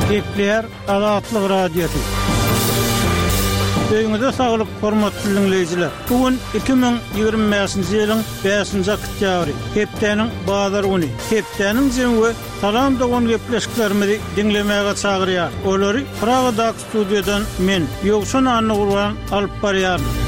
Gepleýär Azatlyk Radiosy. Öýüňize saglyk, hormatly diňleýjiler! Bu gün 2025-nji ýylyň bäşinji oktýabry, hepdäniň bazar güni. Hepdäniň jemi we Salam dogan gepleşiklerimizi diňlemäge çagyrýar. Olary Pragadaky studiýadan men, Ýowşan Annagurban alyp barýaryn.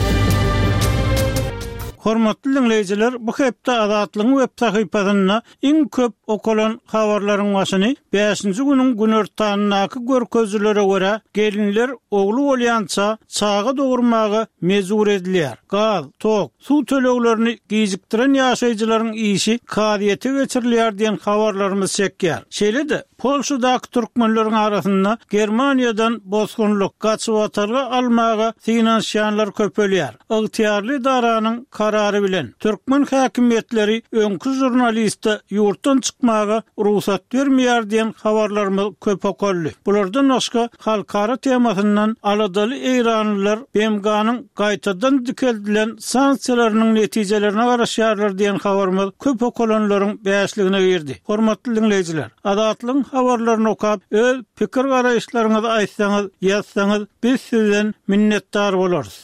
Hormatly diňleýjiler, bu hepde Azatlygyň web sahypasynda iň köp okalan habarlaryň başyny bäşinji günüň günortanyndaky görkezijilere görä, gelinler ogly bolýança çaga dogurmaga mejbur edilýär. Gaz, tok, Suw töleglerini gijikdiren ýaşaýjylaryň işi kazyýete geçirilýär diýen habarlarymyz çekýär. Şeýle-de, Polşadaky türkmenleriň arasynda Germaniýadan bosgunlyk, gaçybatalga almaga synanyşýanlar köpelýär. Ygtyýarly edaranyň karary bilen, türkmen häkimiýetleri öňki žurnaliste ýurtdan çykmaga rugsat bermeýär diýen habarlarymyz köp okaldy. Bulardan başga, halkara temasyndan aladaly eýranlylar BMG-niň gaýtadan dikeldilen sanksiýalarynyň netijelerine garaşýarlar diýen habarymyz köp okalanlaryň bäşligine girdi. Hormatly diňleýjiler, Azatlygyň habarlaryny okap, öz pikir-garaýyşlaryňyzy aýtsaňyz, ýazsaňyz, biz sizden minnetdar bolarys.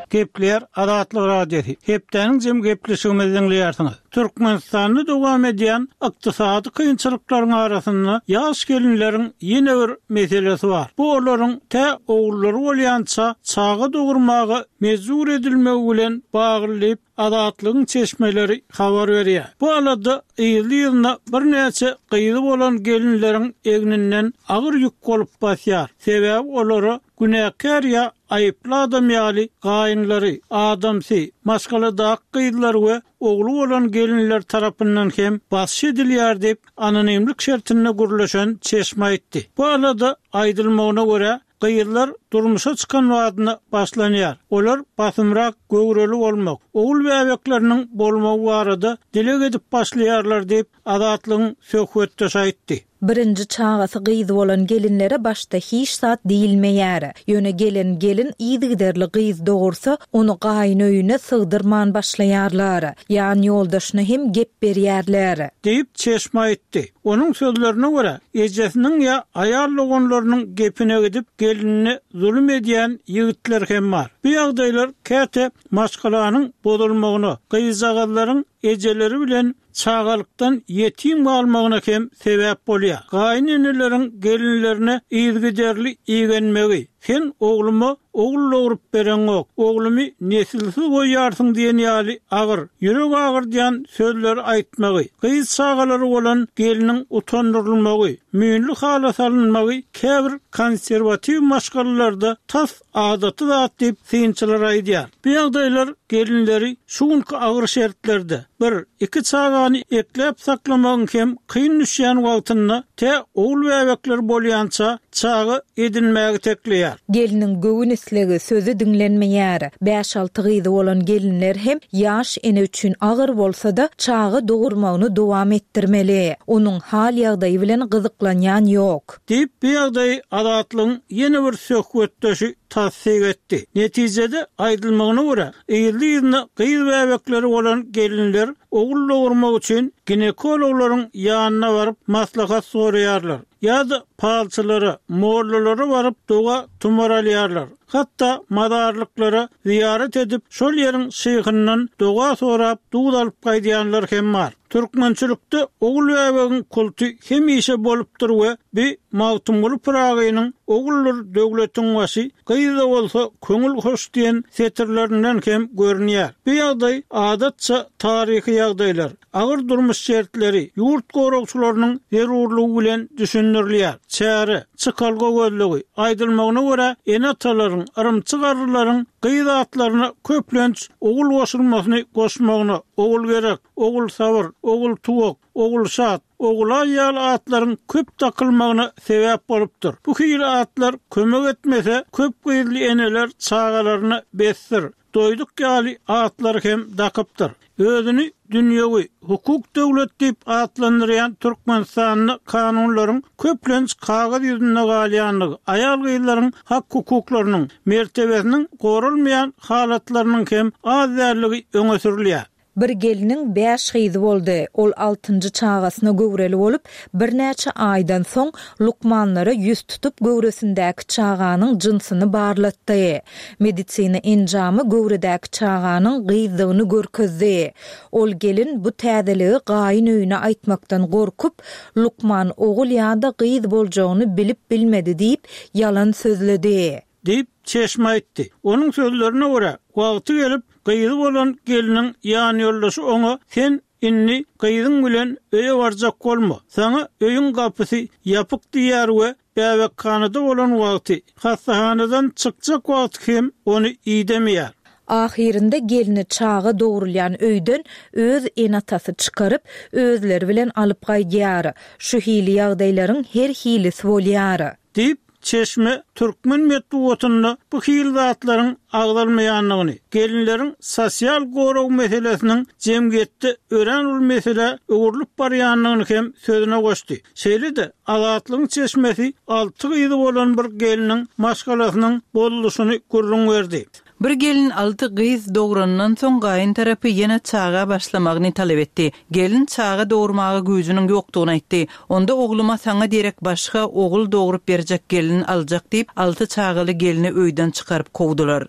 Gepleýär Azatlyk Radiosy. Hepdäniň jemi gepleşigimizi diňleýärsiňiz. Türkmenistanda dowam edýän ykdysady kynçylyklaryň arasynda ýaş gelinleriň ýene bir meselesi bar. Bu olaryň tä ogullary bolýança çaga dogurmaga mejbur edilmegi bilen bagly diýip, Azatlygyň çeşmeleri habar berýär. Bu alada yzly-yzyna birnäçe gyzy bolan gelinleriň egninden agyr ýük bolup basýar. Sebäbi olara günäkär ýa aýyply adam ýaly gaýynlary, adamsy, maşgaladaky gyzlary we ogly bolan gelinler tarapyndan hem basyş edilýär diýip, anonimlik şertinde gürleşen çeşme aýtdy. Bu alada, aýdylmagyna görä, gyzlar durmuşa çykan badyna başlanýar. Olar basymrak göwreli bolmak, ogul bäbekleriniň bolmagy barada dileg edip başlaýarlar diýip, Azatlygyň söhbetdeşi aýtdy. Birinji çagasy gyz bolan gelinlere başda hiç zat diýilmeýär. Ýöne gelen gelin yzygiderli gyz dogursa, ony gaýyn öýüne sygdyrman başlaýarlar. Ýan ýoldaşyna hem gep berýärler. Diýip, çeşme aýtdy. Onuň sözlerine görä, ejesiniň ýa aýal doganlarynyň gepine gidip, gelinine zulum edýän ýigitler hem bar. Bu ýagdaýlar käte maşgalanyň bozulmagyna, gyzjagazlaryň ejeleri bilen çagalykdan ýetim galmagyna hem sebäp bolýar. Gaýyn-eneleriň gelinlerine yzygiderli igenmegi, Sen ogluma ogul dogrup bereňok, oglumy nesilsiz goýýarsyň diýen ýaly agyr, ýürek agyrdýan sözleri aýtmagy, gyz çagalary bolan gelniň utandyrylmagy, müýnli hala salynmagy käbir konserwatiw maşgalalarda tas adaty zat diýip, synçylar aýdýar. Bu ýagdaýlar gelinleri şu günki agyr şertlerde, bir, iki çagany ekläp-saklamagyň hem kyn düşýän wagtynda, tä ogul bäbekleri bolýança çaga edinmäge itekleýär. Gelniň göwün islegi, sözi diňlenmeýär. Bäş-alty gyzy bolan gelinler hem ýaş ene üçin agyr bolsa-da, çaga dogurmagyny dowam etdirmeli. Onuň hal-ýagdaýy bilen gyzyklanýan ýok. Diýip, bu ýagdaýy Azatlygyň ýene bir söhbetdeşi tassyk etdi. Netijede, aýdylmagyna görä, yzly-yzyna gyz bäbekleri bolan gelinler ogul dogurmak üçin ginekologlaryň ýanyna baryp maslahat soraýarlar ýa-da palçylara, mollalara baryp doga-tumar alýarlar. Hatda mazarlyklara zyýarat edip, şol ýeriň şyhyndan doga sorap, duz alyp gaýdýanlar hem bar. Türkmençilikde ogul bäbegiň kulty hemişe bolupdyr we bi Magtymguly Pyragynyň Oguldyr döwletiň başy, gyz-da bolsa köňül hoş diýen setirlerinden hem görünýär. Bu ýagdaý adatça taryhy ýagdaýlar, agyr durmuş şertleri, ýurt goragçylarynyň zerurlygy bilen düşündirilýär. Çäre, çykalga gözlegi, aýdylmagyna görä, ene-atalaryň, yrymçy garrylaryň gyz atlaryna köplenç ogul goşulmasyny goşmagyna, Ogulgerek, Ogulsabyr, Ogultuwak, Ogulşat, Ogulaý ýaly atlaryň köp dakylmagyna sebäp bolupdyr. Bu hili atlar kömek etmese, köp gyzly eneler çagalaryna Bessir, Doýduk ýaly atlary hem dakypdyr. Özüni dünýewi, hukuk döwlet diýip atlandyrýan Türkmenistanda kanunlaryň köplenç kagyz ýüzünde galýandygy, aýal-gyzlaryň hak-hukuklarynyň, mertebesiniň goralmaýan halatlarynyň hem az däldigi öňe sürülýär. Bir gelniň bäş gyzy boldy. Ol altynjy çagasyna göwreli bolup, birnäçe aýdan soň lukmanlara ýüz tutup göwresindäki çaganyň jynsyny barlatdy. Medisina enjamy göwredäki çaganyň gyzdygyny görkezdi. Ol gelin bu täzeligi gaýyn öýüne aýtmakdan gorkup, lukman ogul ýa-da gyz boljagyny bilip bilmedi diýip, ýalan sözledi. Diýip, çeşme aýtdy. Onuň sözlerine görä, wagty gelip, gyzy bolan gelniň ýanýoldaşy oňa, Sen indi gyzyň bilen öýe barjak bolma, saňa öýüň gapysy ýapyk diýýär we bäbekhanada bolan wagty, hassahanadan çykjak wagty hem ony idemeýär. Ahyrynda gelni çaga dogrulýan öýden öz ene-atasy çykaryp, özleri bilen alyp gaýdýar. Şu hili ýagdaýlaryň her hilisi bolýar. Diýip, çeşme türkmen metbugatynda bu hili zatlaryň agzalmaýandygyny, gelinleriň sosial gorag meselesiniň jemgyýetde örän uly meselä öwrülip barýandygyny hem sözüne goşdy. Şeýle-de, Azatlygyň çeşmesi alty gyzy bolan bir gelniň maşgalasynyň bozulyşyny gürrüň berdi. Bir gelin alty gyz dogranyndan soň gaýyn tarapy ýene çaga başlamagyny talap etdi. Gelin çaga dogurmaga güýjüniň ýokdugyny aýtdy. Onda ogluma saňa derek başga ogul dogrup berjek gelin aljak diýip, alty çagaly gelni öýden çykaryp kowdular.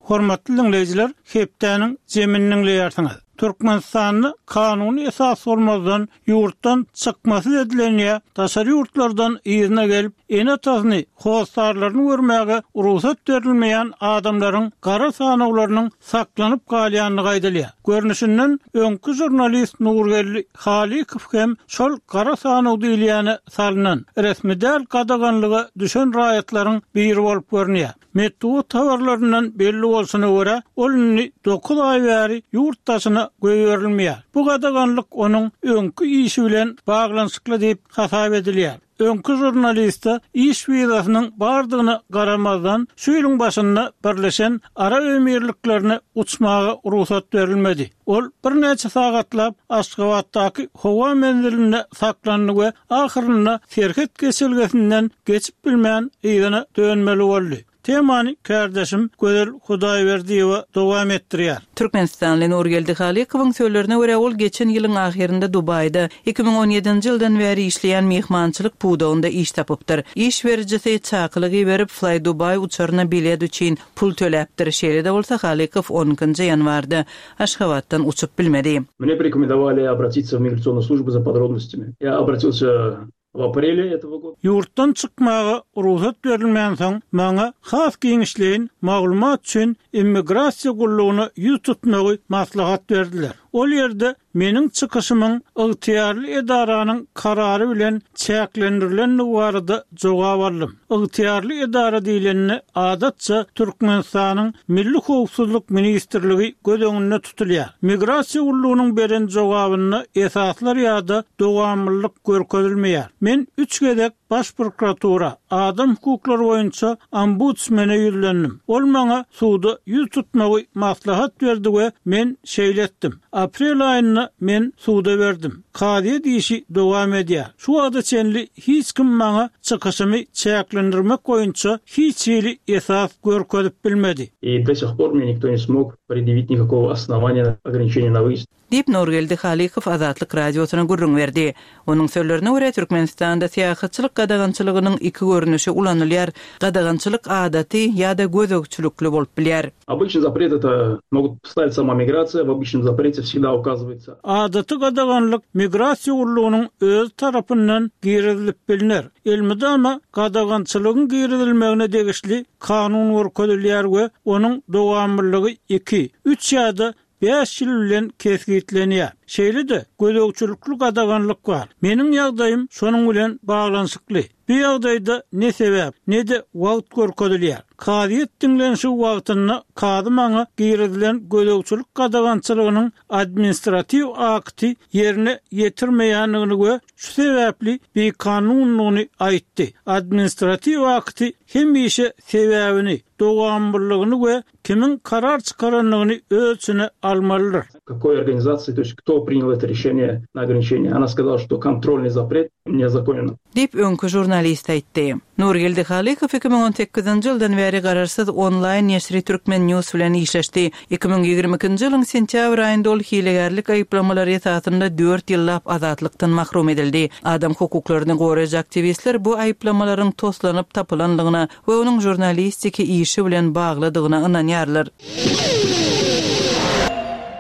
Hormatly diňleýjiler, hepdäniň jemini diňleýärsiňiz. Türkmenistanda kanuny esas bolmazdan ýurtdan çykmasyz edilen ýa daşary ýurtlardan yzyna gelip, ene-atasyny, hossarlaryny görmäge rugsat berilmeýän adamlaryň gara sanawlarynyň saklanyp galýandygy aýdylýar. Görnüşinden, öňki žurnalist Nurgeldi Halykow hem şol gara sanaw diýilýäne salnan, resmi däl gadaganlyga düşen raýatlaryň biri bolup görünýär. Metbugat habarlaryndan belli bolşuna görä, ol indi dokuz aý bäri ýurt daşyna goýberilmeýär. Bu gadaganlyk onuň öňki işi bilen baglanyşykly diýip hasap edilýär. Öňki žurnaliste iş wizasynyň bardygyna garamazdan, şu ýylyň başynda Birleşen Arap Emirliklerine uçmaga rugsat berilmedi. Ol birnäçe sagatlap Aşgabatdaky howa menzilinde saklandy we ahyrynda serhet geçelgesinden geçip bilmän yzyna dönmeli boldy. Temany kärdeşim Gözel Hudaýberdiýewa dowam etdirýär. Türkmenistanly Nurgeldi Halykowyň sözlerine görä, ol geçen ýylyň ahyrynda Dubaýda, 2017-nji ýyldan bäri işleýän myhmançylyk pudagynda iş tapypdyr. Iş berijisi çakylyk iberip, Fly-Dubai uçaryna bilet üçin pul töläpdir. Şeýle-de bolsa, Halykow on ikinji ýanwarda Aşgabatdan uçup bilmedi. Mne porekomendowali obratиться w migrasionnuyu slujbu za podrobnostymi. Ýa obratilsya w aprele etogo goda. Ýurtdan çykmaga rugsat berilmänsoň, maňa has giňişleýin maglumat üçin immigrasiýa gullugyna ýüz tutmagy maslahat berdiler. Ol ýerde Meniň çykyşymyň ygtyýarly edaranyň karary bilen çäklendirilendigi barada jogap aldym. Ygtyýarly edara diýlende, adatça, Türkmenistanyň Milli howpsuzlyk ministrligi göz öňünde tutulýar. Migrasiýa gullugynyň beren jogabynda esaslar ýa-da dowamlylyk görkezilmeýär. Men üç gezek Baş prokuratura, adam hukuklary boýunça ombudsmene ýüzlendim. Ol maňa suda ýüz tutmagy maslahat berdi we men şeýle etdim. Aprel aýynda men suda berdim. Kazyýet işi dowam edýär. Şu wagta çenli hiç kim maňa çykyşymy çäklendirmek boýunça hiç hili esas görkezip bilmedi. I do sih por mne nikto ne smog predýawit nikakogo osnowaniýa na ograniçeniýe na wyýezd. Diýip, Nurgeldi Halykow Azatlyk Radiosyna gürrüň berdi. Onuň sözlerine görä, Türkmenistanda syýahatçylyk gadagançylygynyň iki görnüşi ulanylýar, gadagançylyk adaty ýa-da gözegçilikli bolup bilýär. Obyçnyý zapret это mogut stavit sama migrasiýa, w obyçnom zaprete wsegda ukazywaýtsa. Adaty gadaganlyk migrasiýa gullugynyň özi tarapyndan girizilip bilner. Elmydama gadagançylygyň girizilmegine degişli kanun görkezilýär we onuň dowamlylygy iki, üç ýa-da bäş ýyl bilen kesgitlenýär. Şeýle-de, gözegçilikli gadaganlyk bar. Meniň ýagdaýym şonuň bilen baglanyşykly. Bu ýagdaýda ne sebäp, ne-de wagt görkezilýär. Kazyýet diňlenişigi wagtynda kazy maňa girizilen gözegçilik gadagançylygynyň administratiw akty ýerine ýetirmeýändigini we şu sebäpli bikanundygyny aýtdy. Administratiw akty hemişe sebäbini, dowamlylygyny we Kimiň karar çykarandygyny öz içine almalydyr. Kakoý organizasiýa, to ýest kto prinýal eto rişeniýe na ograniçeniýe, ona skazala, şto kontrolnyý zapret ne zakonен. Diýip, öňki žurnalist aýtdy. Nurgeldi Halykow 2018-nji ýyldan bäri garaşsyz onlaýn neşiri Turkmen News bilen işleşdi. 2022-nji ýylyň sentýabr aýynda ol hilegärlik aýyplamalary esasynda dört ýyllap azatlykdan mahrum edildi. Adam hukuklaryny goraýjy aktiwistler bu aýyplamalaryň toslanyp tapylandygyna we onuň žurnalistiki işi bilen baglydygyna ynanýarlar.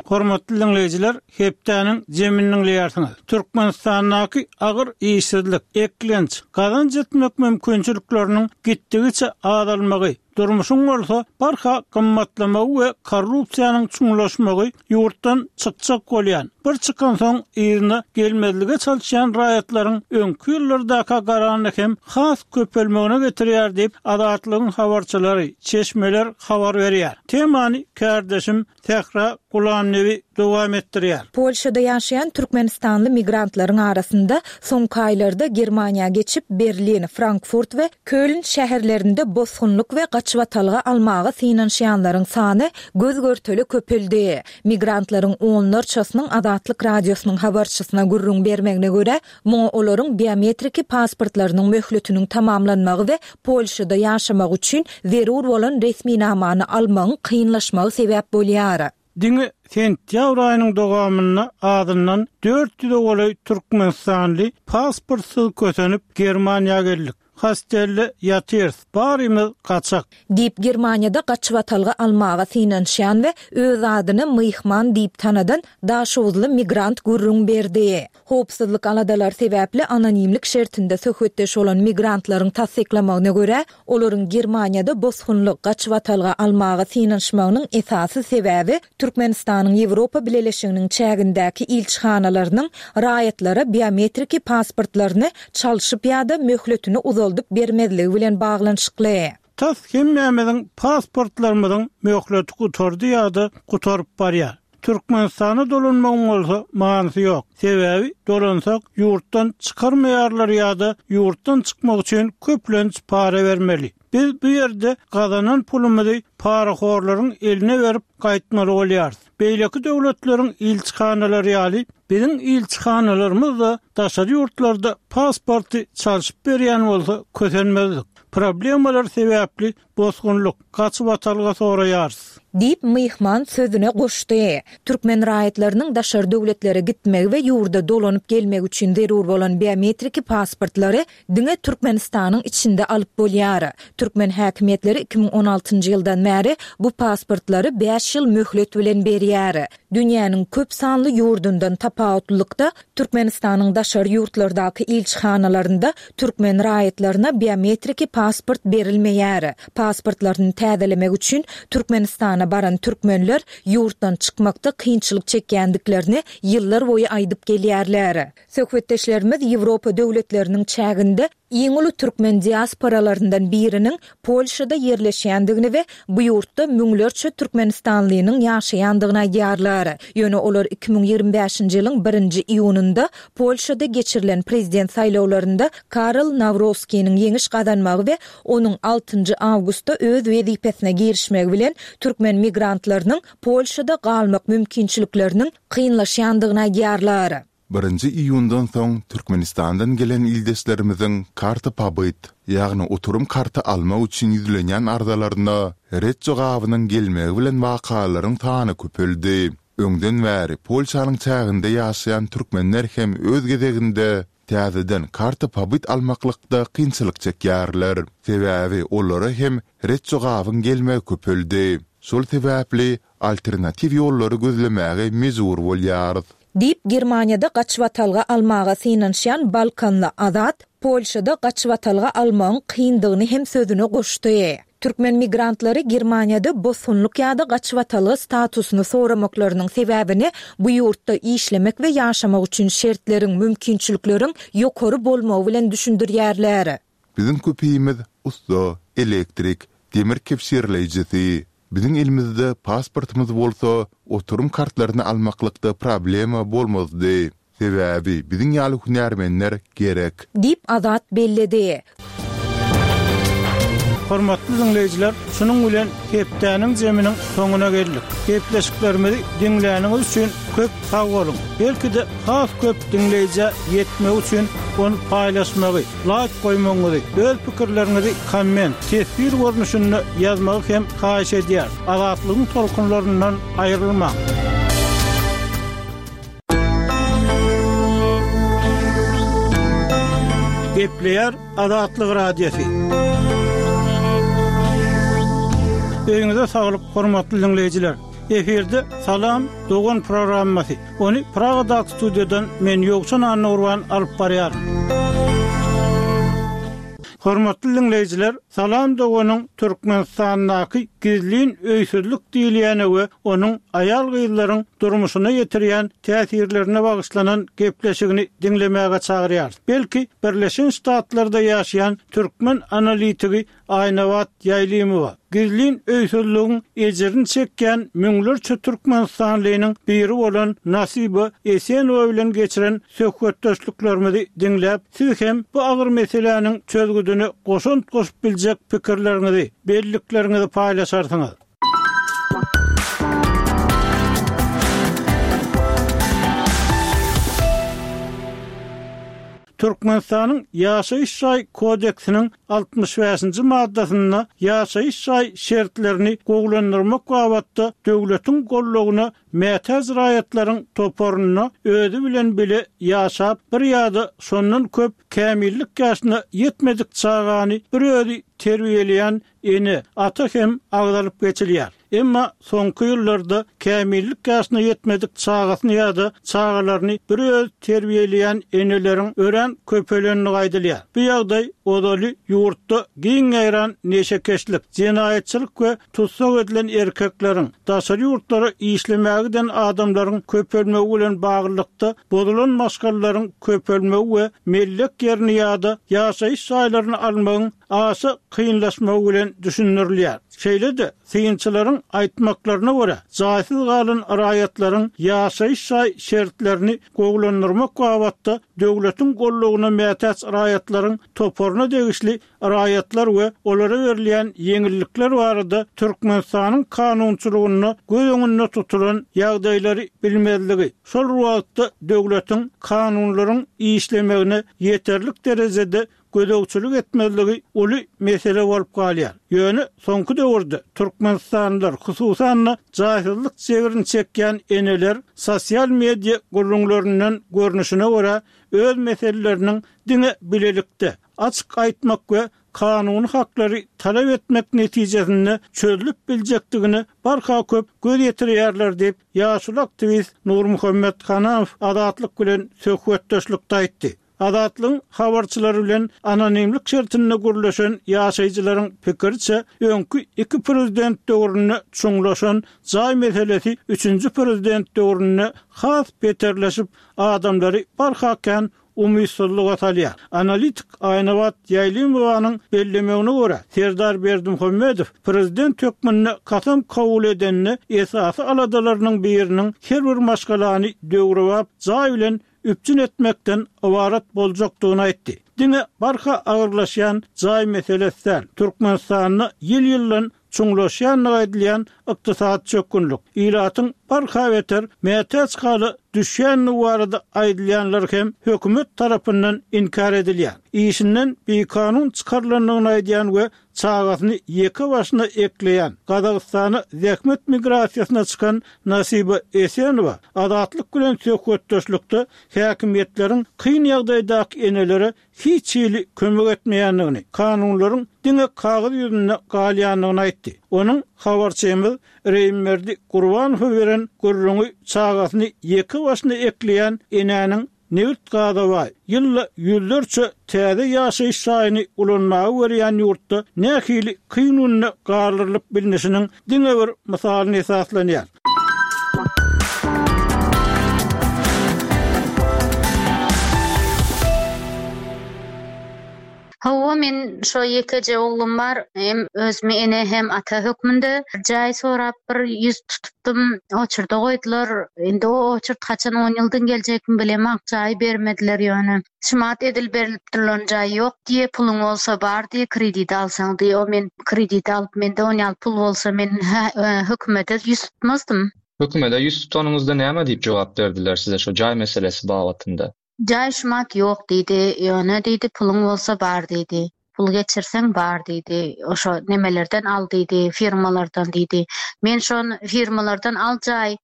Hormatly diňleýjiler, hepdäniň jemini diňleýärsiňiz. Türkmenistandaky agyr işsizlik, eklenç, gazanç etmek mümkinçilikleriniň gitdigiçe azalmagy, durmuşyň bolsa barha gymmatlamagy we korrupsiýanyň çuňlaşmagy ýurtdan çykjak bolýan, bir çykansoň yzyna gelmezlige çalyşýan raýatlaryň öňki ýyllardaka garanda hem has köpelmegine getirýär diýip, Azatlygyň habarçylary, çeşmeler habar berýär. Temany kärdeşim Sähra Gulamnebi dowam etdirýär. Polşada ýaşaýan türkmenistanly migrantlaryň arasynda soňky aýlarda Germaniýa geçip, Berlin, Frankfurt we Köln şäherlerinde bosgunlyk we gaçybatalga almaga synanyşýanlaryň sany göz-görtele köpeldi. Migrantlaryň onlarçasynyň Azatlyk Radiosynyň habarçysyna gürrüň bermegine görä, muňa olaryň biometriki pasportlarynyň möhletiniň tamamlanmagy we Polşada ýaşamak üçin zerur bolan resminamany almagyň kynlaşmagy sebäp bolýar. Diňe sentýabr aýynyň dowamynda azyndan 400-e golaý türkmenistanly pasportsyz kösenip Germaniýa geldik. Hostelde ýatyrys. Barymyz gaçak. Diýip, Germaniýada gaçybatalga almaga synanyşýan we öz adyny Myhman diýip tanadan daşoguzly migrant gürrüň berdi. Howpsuzlyk aladalary sebäpli anonimlik şertinde söhbetdeş bolan migrantlaryň tassyklamagyna görä, olaryň Germaniýada bosgunlyk, gaçybatalga almaga synanyşmagynyň esasy sebäbi Türkmenistanyň Ýewropa Bileleşiginiň çägindäki ilçihanalarynyň raýatlara biometriki pasportlaryny çalşyp ýa-da möhletini uzaldyp bermezligi bilen baglanyşykly. Tas hemmämiziň pasportlarymyzyň möhleti gutardy ýa-da gutaryp barýar. Türkmenistana dolanmagyň bolsa manysy ýok. Sebäbi dolansak ýurtdan çykarmaýarlar ýa-da ýurtdan çykmak üçin köplenç para bermeli. Biz bu ýerde gazanan pulumyzy parahorlaryň eline berip gaýtmaly bolýarys. Beýleki döwletleriň ilçihanalary ýaly biziň ilçihanalarymyz-da daşary ýurtlarda pasporty çalşyp berýän bolsa kösenmezdik. Problemalar sebäpli bosgunlyk, gaçybatalga soraýarys. Diýip, myhman sözüne goşdy. Türkmen raýatlarynyň daşary döwletlere gitmegi we ýurda dolanyp gelmegi üçin zerur bolan biometriki pasportlary diňe Türkmenistanyň içinde alyp bolýar. Türkmen häkimiýetleri 2016-njy ýyldan bäri bu pasportlary bäş ýyl möhlet bilen berýär. Dünýäniň köp sanly ýurdundan tapawutlylykda, Türkmenistanyň daşary ýurtlardaky ilçihanalarynda türkmen raýatlaryna biometriki pasport berilmeýär. Pasportlaryny täzelemek üçin Türkmenistana baran türkmenler ýurtdan çykmakda kynçylyk çekýändiklerini ýyllar boýy aýdyp gelýärler. Söhbetdeşlerimiz Ýewropa döwletleriniň çäginde iň uly türkmen diasporalaryndan biriniň Polşada ýerleşýändigini we bu ýurtda müňlerçe türkmenistanlynyň ýaşaýandygyny aýdýarlar. Ýöne olar 2025-nji ýylyň birinji iýunynda Polşada geçirilen prezident saýlawlarynda Karol Nawroskiniň ýeňiş gazanmagy we onuň altynjy awgustda öz wezipesine girişmegi bilen türkmen migrantlarynyň Polşada galmak mümkinçilikleriniň kynlaşýandygyny aýdýarlar. Birinji iýundan soň Türkmenistandan gelen ildeşlerimiziň karta pobyt, ýagny oturum karty almak üçin ýüzlenýän arzalaryna ret jogabynyň gelmegi bilen wakalaryň sany köpeldi. Öňden bäri Polşanyň çäginde ýaşaýan türkmenler hem öz gezeginde täzeden karta pobyt almaklykda kynçylyk çekýärler. Sebäbi olara hem ret jogabyň gelmegi köpeldi. Şol sebäpli alternatiw ýollary gözlemäge mejbur bolýarys. Diýip, Germaniýada gaçybatalga almaga synanyşýan balkanly Azat Polşada gaçybatalga almagyň kyndygyny hem sözüne goşdy. Türkmen migrantlary Germaniýada bosgunlyk ýa-da gaçybatalga statusyny soramaklarynyň sebäbini bu ýurtda işlemek we ýaşamak üçin şertleriň, mümkinçilikleriň ýokary bolmagy bilen düşündirýärler. Biziň köpimiz ussa, elektrik, demir kebşirleýjisi. Biziň elimizde pasportymyz bolsa, oturum kartlaryny almaklykda problema bolmazdy. Sebäbi biziň ýaly hünärmenler gerek. Diýip, Azat belledi. Hormatly diňleýjiler, şunuň bilen hepdäniň jeminiň soňuna geldik. Gepleşiklerimizi diňläniňiz üçin köp sag boluň! Belki-de has köp diňleýjä ýetmegi üçin ony paýlaşmagy, laýk goýmagyňyzy, öz pikirleriňizi komment, teswir görnüşinde ýazmagy hem haýyş edýäris. Azatlygyň tolkunlaryndan aýrylmaň! Gepleýär Azatlyk Radiosy. Öýüňize saglyk, hormatly diňleýjiler! Efirde Salam, dogan programmasy. Ony Pragadaky studiýadan men Ýowşan Annagurban alyp barýaryn. Hormatly diňleýjiler, Salam doganyň Türkmenistandaky gizlin öýsüzlik diýilýäne we onuň aýal-gyzlaryň durmuşyna ýetirýän täsirlerine bagyşlanan gepleşigini diňlemäge çagyrýarys. Belki, Birleşen Ştatlarda ýaşaýan türkmen analitigi Aýnabat Ýaýlymowa, gizlin öýsüzligiň ejirini çekýän müňlerçe türkmenistanlynyň biri bolan Nasiba Esenowa bilen geçiren söhbetdeşliklerimizi diňläp, siz hem bu agyr meseläniň çözgüdine goşant goşup biljek pikirleriňizi, bellikleriňizi paýlaşarsyňyz. Türkmenistanyň Ýaşaýyş jaý kodeksiniň 65-nji maddasynda ýaşaýyş jaý şertlerini gowulandyrmak babatda döwletiň goldawyna mätäç raýatlaryň toparynda özi bilen bile ýaşap, bir ýa-da şondan köp kämillik ýaşyna ýetmedik çagany bir özi terbiýeleýän ene, ata hem agzalyp geçilýär. Emma soňky ýyllarda kämillik ýaşyna ýetmedik çagasyny ýa-da çagalaryny bir özi terbiýeleýän eneleriň örän köpelendigi aýdylýar. Bu ýagdaý ozaly ýurtda giň ýaýran neşekeşlik, jenaýatçylyk we tussag edilen erkekleriň, daşary ýurtlara işlemäge giden adamlaryň köpelmegi bilen baglylykda bozulan maşgalalaryň köpelmegi we mellek ýerini ýa-da ýaşaýyş jaýlaryny almagyň aşa kynlaşmagy bilen düşündirilýär. Şeýle-de, synçylaryň aýtmaklaryna görä, jaýsyz galan raýatlaryň ýaşaýyş jaý şertlerini gowulandyrmak babatda döwletiň goldawyna mätäç raýatlaryň toparyna degişli raýatlar we olara berilýän ýeňillikler barada Türkmenistanyň kanunçylygynda göz öňünde tutulan ýagdaýlary bilmezligi, şol bir wagtda döwletiň kanunlaryň işlemegine ýeterlik derejede gözegçilik etmezligi uly mesele bolup galýar. Ýöne soňky döwürde türkmenistanlylar, hususan-da, jaýsyzlyk jebrini çekýän eneler sosial media gürrüňlerinden görnüşine görä, öz meseleleriniň diňe bilelikde, açyk aýtmak we kanuny haklary talap etmek netijesinde çözlüp biljekdigine barha köp göz ýetirýärler diýip, ýaşuly aktiwist Nurmuhammet Hanamow Azatlyk bilen söhbetdeşlikde aýtdy. Azatlygyň habarçylary bilen anonimlik şertinde gürleşen ýaşaýjylaryň pikiriçe, öňki iki prezident döwründe çuňlaşan jaý meselesi üçünji prezident döwründe has beterleşip, adamlary barha kän umytsyzlyga salýar. Analitik Aýnabat Ýaýlymowanyň bellemegine görä, Serdar Berdimuhamedow prezident hökmünde kasam kabul edende esasy aladalarynyň biriniň her bir maşgalany döwrebap jaý bilen üpjün etmekden ybarat boljakdygyny aýtdy. Diňe barha agyrlaşýan jaý meselesi däl, Türkmenistanda ýyl-ýyldan çuňlaşýandygy aýdylýan ykdysady çökgünlik, ilatyň barha beter mätäç hala düşýändigi barada aýdylýanlar hem hökümet tarapyndan inkär edilýär. Işinden bikanun çykarylandygyny aýdýan we çagasyny ýeke başyna ekleýän, Gazagystana zähmet migrasiýasyna çykan Nasiba Esenowa Azatlyk bilen söhbetdeşlikde häkimiýetleriň kyn ýagdaýdaky enelere hiç hili kömek etmeýändigini, kanunlaryň diňe kagyz ýüzünde galýandygyny aýtdy. Onuň habarçymyz Reýimberdi Gurbanowa beren gürrüňi çagasyny ýeke başyna ekleýän enäniň Nebit-gaza baý, ýylda ýüzlerçe täze ýaşaýyş jaýyny ulanmaga berýän ýurtda nähili kyn günde galdyrylyp bilnişiniň diňe bir mysalyna esaslanýar. Hawa. Men şo ýekeje oglum bar. Hem özümi ene hem ata hökmünde jaý sorap bir ýüz tutupdym. Oçurda goýdular. Indi o oçurt haçan on ýyldan geljekmi bilemok. Jaý bermediler ýöne. Şumat edil berlip durlan jaý ýok diýe, puluň bolsa bar diýe, kredit alsaň diýe. O men kredit alyp mende on ýaly pul bolsa men hökümete ýüz tutmazdym. Hökümede ýüz tutanyňyzda näme diýip jogap berdiler size şo jaý meselesi babatynda? Jaý şumat ýok diýdi, ýöne diýdi puluň bolsa bar diýdi. Pul geçirseň bar diýdi. Oşo nemelerden al diýdi, firmalardan diýdi. Men şon firmalardan al jaý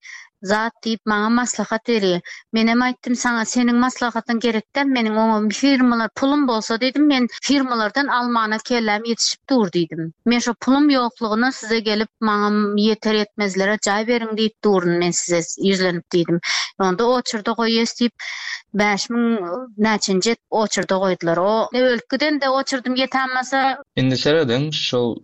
zat diýip maňa maslahat berýä. Menem aýtdym saňa seniň maslahatyň gerek däl meniň oňa firmalar pulum bolsa diýdim men firmalardan almana kelläm ýetişip dur diýdim. Men şo pulum ýoklugyna size gelip maňa ýeter ýetmezlere jaý beriň diýip durun men size ýüzlenip diýdim. Onda oçurda goýýas diýip 5000 näçenji edip oçurda goýdular. O ölüp gidende oçurdym ýetämasa. Indi serediň şol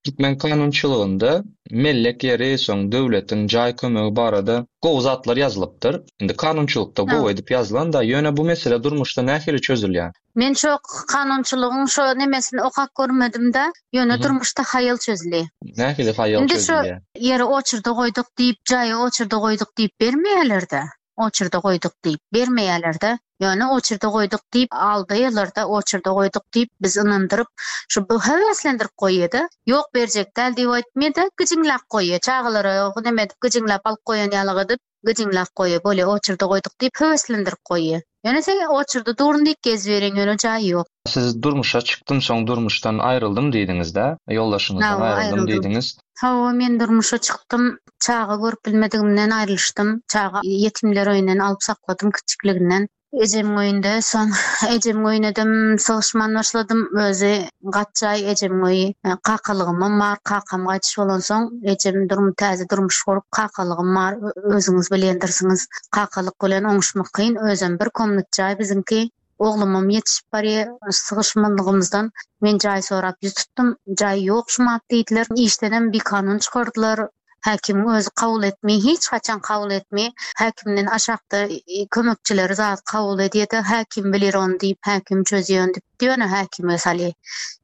türkmen kanunçylygynda Mellek ýeri, soň döwletiň jaý kömegi barada gowy zatlar ýazylypdyr. Indi kanunçylykda gowy edip ýazylan-da, ýöne bu mesele durmuşda nähili çözülýär? Men şo kanunçylygyň şo nemesini okap görmedim-de, ýöne durmuşda haýal çözülýär. Nähili haýal Indi şo çözülýär? ýeri oçurda goýduk diýip, jaýy oçurda goýduk diýip bermeýärler-de. Oçurda goýduk diýip, bermeýärler-de. Ýöne oçurda goýduk diýip, aldaýarlar-da, oçurda goýduk diýip, bizi ynandyryp, şu bu höweslendirip goýýar-da. Ýok, berjek däl diýip aýtmaýar-da, gyjyňlap goýýar. Çagalara neme edip, gyjyňlap alyp goýan ýalyk edip, gyjyňlap goýýar. Bolýa, oçurda goýduk diýip, höweslendirip goýýar. Ýöne sen oçurda durun diýip geziberiň, ýöne jaý ýok. Siz durmuşa çykdym, soň durmuşdan aýryldym diýdiňiz-dä? Ýoldaşyňyzdan Hawa, aýryldym aýryldym. diýdiňiz. Hawa, men durmuşa çykdym. Çaga görüp bilmedigimden aýrylyşdym. Çaga ýetimler öýünden alyp sakladym kiçikliginden. Ejemiň öýünde, soň ejemiň öýünedem sygyşman başladym. Özi gat jaý ejemiň öýi. Kakalygymam bar. Kakam gaýtyş bolansoň, ejem durm täze durmuş gurup, kakalygym bar. Özüňiz bilýändirsiňiz. Kakalyk bilen oňuşmak kyn. Özem bir komnat jaý biziňki. Oglumam ýetişip barýar. Sygyşmanlygymyzdan men jaý sorap ýüz tutdum. Jaý ýok şumat diýdiler. Işdenem bikanun çykardylar. Häkimiň özi kabul etmeý, hiç haçan kabul etmeý. Häkimden aşakda kömekçileri zat kabul edýär-de, häkim bilir ony diýip, häkim çözýär ony diýip, ýöne häkime salýar.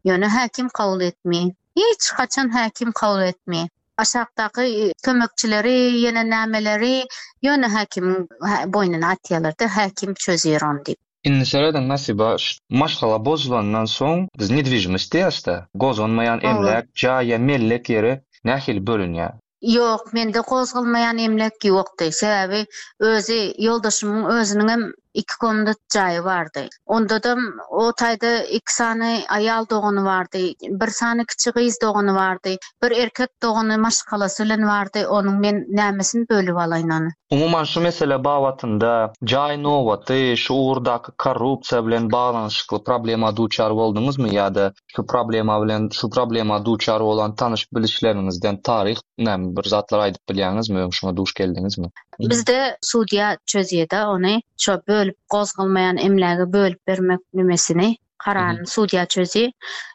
Ýöne häkim kabul etmeý. Hiç haçan häkim kabul etmeý. Aşakdaky kömekçileri, ýene nämeleri ýöne häkimiň boýnuna atýarlar-da, häkim çözýär ony diýip. Indi serediň Nasiba, maşgala bozulandan soň biz nedwižimost diýýäs-de, gozganmaýan emläk, jaý ýa mellek ýeri nähili bölünýär? Ýok, mende gozgalmaýan emläk ýokdy. Sebäbi özi ýoldaşymyň özüniňem iki komnat jaýy bardy. Ondadam o taýda iki sany aýal dogany bardy, bir sany kiçi gyz dogany bardy, bir erkek dogany maşgalasy bilen bardy, onuň men nämesini bölüp alaýyn ony. Umuman şu mesele babatynda jaý nobaty, şu ugurdaky korrupsiýa bilen baglanyşykly problema duçar bolduňyzmy ýa-da şu problema bilen şu problema duçar bolan tanyş-bilişleriňizden taryh näme bir zatlar aýdyp bilýäňizmi öň şuňa duş geldiňizmi? Bizde sudýa çözýeda ony şo bölüp gozgalmaýan emlägi bölüp bermek nemesini kararyny sudýa çözýä.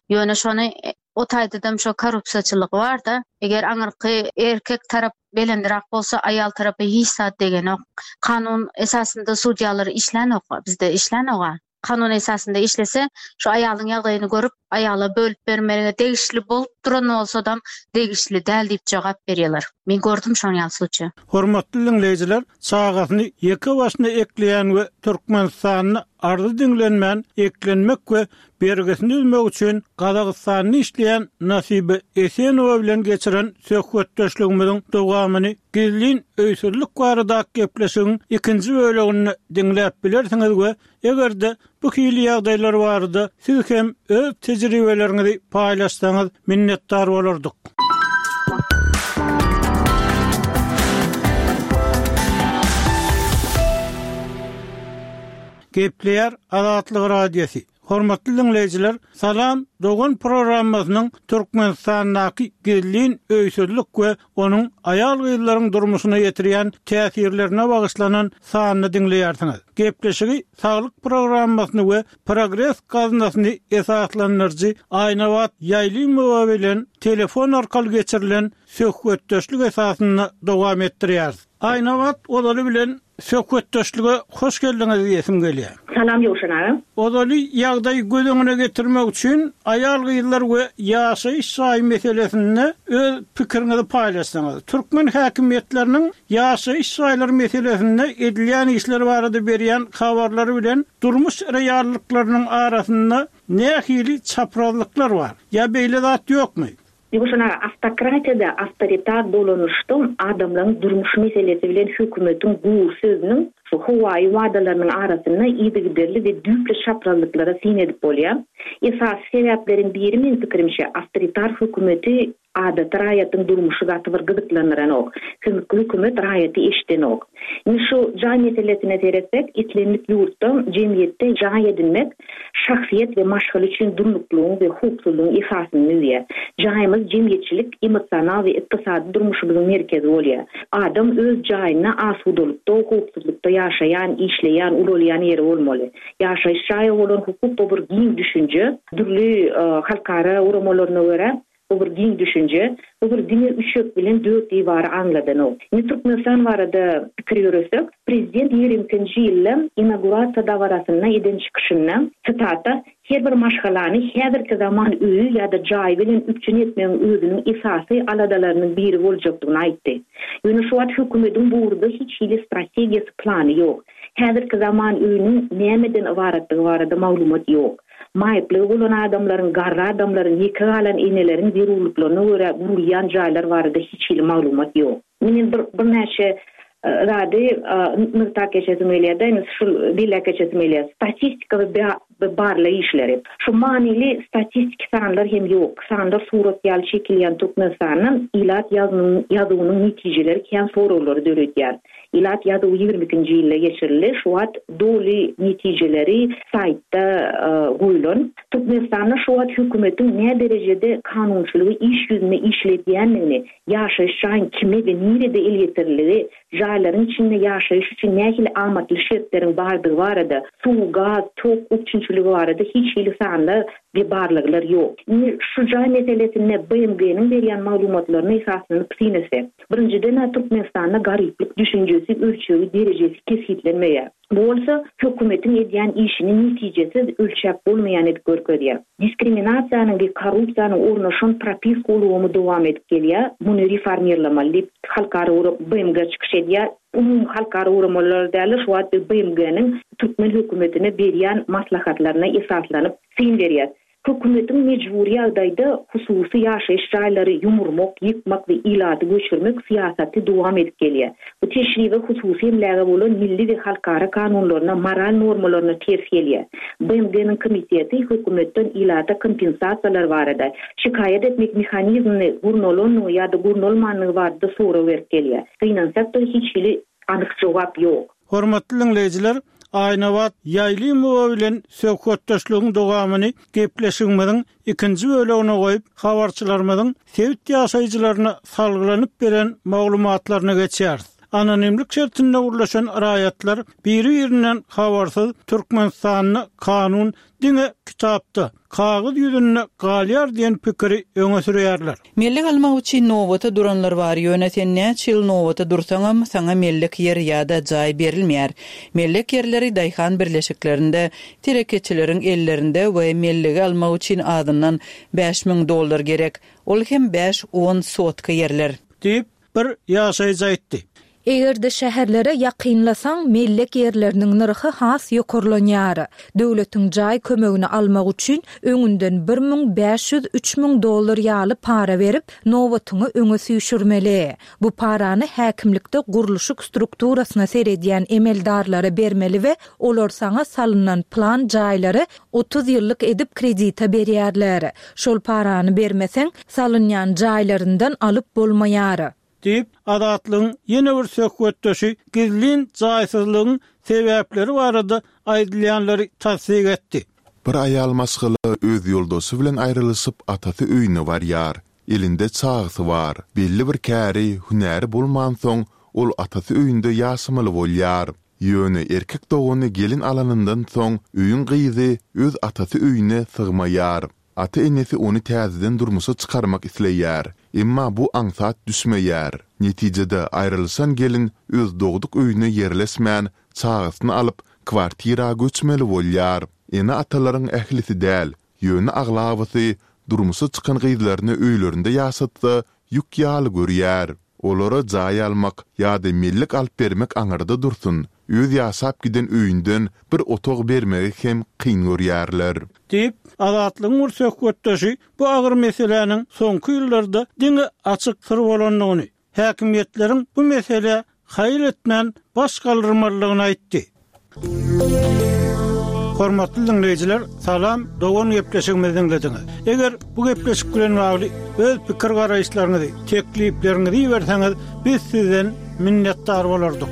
Ýöne şony o taýdadam şo korrupsiýaçylyk barda. Eger aňyrky erkek tarap belendirak bolsa aýal tarapy hiç zat degenok. Kanun esasynda sudýalar işlänok bizde işlänoga. Kanun esasynda işlese, şu aýalyň ýagdaýyny görüp, aýala bölüp bermäge degişli bolup duran bolsadam, degişli däl diýip jogap berýärler. Men gördüm şoň ýaly sluçaý. Hormatly diňleýjiler, çagasyny ýeke başyna ekleýän we Türkmenistanda arzy diňlenmän eklenmek we bergisini üzmek üçin Gazagystanda işleýän Nasiba Esenowa bilen geçiren söhbetdeşligimiziň dowamyny Gizlin öýsüzlik baradaky gepleşigiň ikinji böleginde diňläp bilersiňiz we eger-de bu hili ýagdaýlar barada siz hem öz tejribeleriňizi paýlaşsaňyz minnetdar bolardyk. Gepleýär Azatlyk Radiosy. Hormatly diňleýjiler, Salam, dogan programmasynyň Türkmenistandaky gizlin öýsüzlik we onuň aýal-gyzlaryň durmuşyna ýetirýän täsirlerine bagyşlanan sanyny diňleýärsiňiz. Gepleşigi Saglyk programmasyny we Progres gaznasyny esaslandyryjy Aýnabat Ýaýlymowa bilen telefon arkaly geçirilen söhbetdeşlik esasynda dowam etdirýäris. Aýnabat, ozaly bilen söhbetdeşlige hoş geldiňiz diýesim gelýär. Salam Ýowşan aga. Ozaly ýagdaýy göz öňüne getirmek üçin aýal-gyzlar we ýaşaýyş jaýy meselesinde öz pikiriňizi paýlaşsaňyz. Türkmen häkimiýetleriniň ýaşaýyş jaýlary meselesinde edilýän işler barada berýän habarlary bilen durmuş reallyklarynyň arasynda nähili çaprazlyklar bar? Ýa beýle zat ýokmy? Ýowşan aga, awtokratiýada, awtoritar dolanyşda adamlaryň durmuş meselesi bilen hökümetiň gury sözüniň şu howaýy wadalarynyň arasynda yzygiderli we düýpli çaprazlyklara syn edip bolýar. Esasy sebäpleriň biri, meň pikirimçe, awtoritar hökümeti adaty raýatyň durmuşy gaty bir gyzyklandyranok. Hökümet raýaty eşidenok. Indi şu jaý meselesine seretsek, islendik ýurtda, jemgyýetde jaý edinmek şahsyýet we maşgala üçin durnuklygyň we howpsuzlygyň esasyny düzýär. Jaýymyz jemgyýetçilik, emosional we ykdysady durmuşymyzyň merkezi bolýar. Adam öz jaýynda asudalykda, howpsuzlykda ýaşaýan, işleýän, ulalýan ýeri bolmaly. Ýaşaýyş jaýa bolan hukuk bu bir giň düşünje. Dürli halkara guramalaryna görä, Bu bir giň düşünje. Bu bir diňe üçek bilen dört diwary aňladanok. Indi Türkmenistan barada pikir ýöretsek, prezident 22-nji ýylda inaugurasiýa dabarasynda eden çykyşynda, sitata, Her bir maşgalany häzirki zaman öýi ýa-da jaýy bilen üpjün etmegiň özüniň esasy aladalarynyň biri boljakdygyny aýtdy. Ýöne şu wagt hökümediň bu ugurda hiç hili strategiýasy, plany ýok. Häzirki zaman öýüniň nämeden ybaratdygy barada maglumat ýok. Maýyplygy bolan adamlaryň, garry adamlaryň, ýeke galan eneleriň zerurlyklaryna görä gurulýan jaýlar barada hiç hili maglumat ýok. Men bir birnäçe zady nygtap geçesim gelýär-de, indi şul belläp geçesim gelýär. Statistika we barlag işleri. Şu manyly statistiki sanlar hem ýok. Sanlar surat ýaly çekilýän Türkmenistanda ilat ýazuwynyň netijeleri kän soraglary döredýär. Ilat ýazuwy 22-nji ýylda geçirildi. Şu wagt doly netijeleri saýtda goýlan. Türkmenistanda şu wagt hökümetiň näderejede kanunçylygy iş ýüzünde işledýändigini, ýaşaýyş jaýyň kime we nirede elýeterliligi, jaýlaryň içinde ýaşaýyş üçin nähili amatly şertleriň bardygy barada, suw, gaz, tok üpjünçiligi barada hiç hili sanlar we barlaglar ýok. Indi şu jaý meselesinde BMG-niň berýän maglumatlaryna esaslanyp syn etsek. Birinjiden-ä Türkmenistanda garyplyk düşünjesi, ölçegi, derejesi kesgitlenmeýär. Bu bolsa hökümetiň edýän işini netijesiz, ölçäp bolmaýan edip görkezýär. Diskriminasiýanyň we korrupsiýanyň ornaşan propiska ulgamy dowam edip gelýär, muny reformirlamaly diýip, halkara BMG çykyş edýär. Umumy halkara guramalar däl-de, şu wagt biz BMG-niň türkmen hökümetine berýän maslahatlaryna esaslanyp syn berýäs. Hökümetiň mejbury ýagdaýda hususy ýaşaýyş jaýlary ýumurmak, ýykmak we ilaty göçürmek syýasaty dowam edip gelýär. Bu teşribe hususy emläge bolan milli we halkara kanunlaryna, moral normalaryna ters gelýär. BMG-niň komiteti hökümetden ilata kompensasiýalar barada, şikaýat etmek mehanizmini gurnalandygy ýa-da gurnalmandygy barada sorag berip gelýär. Gynansak-da, hiç hili anyk jogap ýok. Hormatly diňleýjiler, Aýnabat Ýaýlymowa bilen söhbetdeşligiň dowamyny gepleşigimiziň ikinji bölegine goýup, habarçylarymyzyň sebit ýaşaýjylaryna salgylanyp beren maglumatlaryna geçýäris. Anonimlik şertinde gürleşen raýatlar biri-birinden habarsyz Türkmenistanda kanun diňe kitapda, kagyz ýüzünde galýar diýen pikiri öňe sürýärler. Mellek almak üçin nobata duranlar bar, ýöne sen näçe ýyl nobata dursaňam, saňa mellek ýer ýa-da jaý berilmeýär. Mellek ýerleri daýhan birleşiklerinde, telekeçileriň ellerinde we mellegi almak üçin azyndan 5000 dollar gerek. Ol hem bäş-on sotka ýerler. Diýip, Bir ýaşaýjy aýtdy. Eger-de şäherlere ýakynlasaň, mellek ýerleriniň nyrhy has ýokarlanýar. Döwletiň jaý kömegini almak üçin öňünden 1500, 3000 dollar ýaly para berip, nobatyňy öňe süýşürmeli. Bu parany häkimlikde gurluşyk strukturasyna seredýän emeldarlara bermeli we olar saňa salynan plan jaýlary 30 ýyllyk edip kredite berýärler. Şol parany bermeseň, salynýan jaýlaryndan alyp bolmaýar. Diýip, Azatlygyň ýene bir söhbetdeşi gizlin jaýsyzlygyň sebäpleri barada aýdylýanlary tassyk etdi. Bir aýal maşgala öz ýoldaşy bilen aýrylyşyp atasy öýüne barýar. Elinde çagasy bar. Belli bir käri, hünäri bolmansoň, ol atasy öýünde ýaşamaly bolýar. Ýöne erkek dogany gelin alanyndan soň öýüň gyzy öz atasy öýüne sygmaýar. Ata-enesi ony täzeden durmuşa çykarmak isleýär. Emma bu aňsat düşmeýär. Netijede aýrylyşan gelin öz dogduk öýüne ýerleşmän, çagasyny alyp, kwartira göçmeli bolýar. Ene-atalaryň ählisi däl, ýöne aglabasy durmuşa çykan gyzlaryny öýlerinde ýaşatsa ýük ýaly görýär. Olara jaý almak ýa-da mellek alyp bermek aňyrda dursun, öz ýaşap giden öýünden bir otag bermegi hem kyn görýärler. Diýip, Azatlygyň bir söhbetdeşi bu agyr meseläniň soňky ýyllarda diňe açyk syr bolandygyny, häkimiýetleriň bu meselä haýal etmän baş galdyrmalydygyny aýtdy. Hormatly diňleýjiler, Salam, dogan gepleşigimizi diňlediňiz. Eger bu gepleşik bilen bagly öz pikir-garaýyşlaryňyzy, teklipleriňizi iberseňiz, biz sizden minnetdar bolardyk.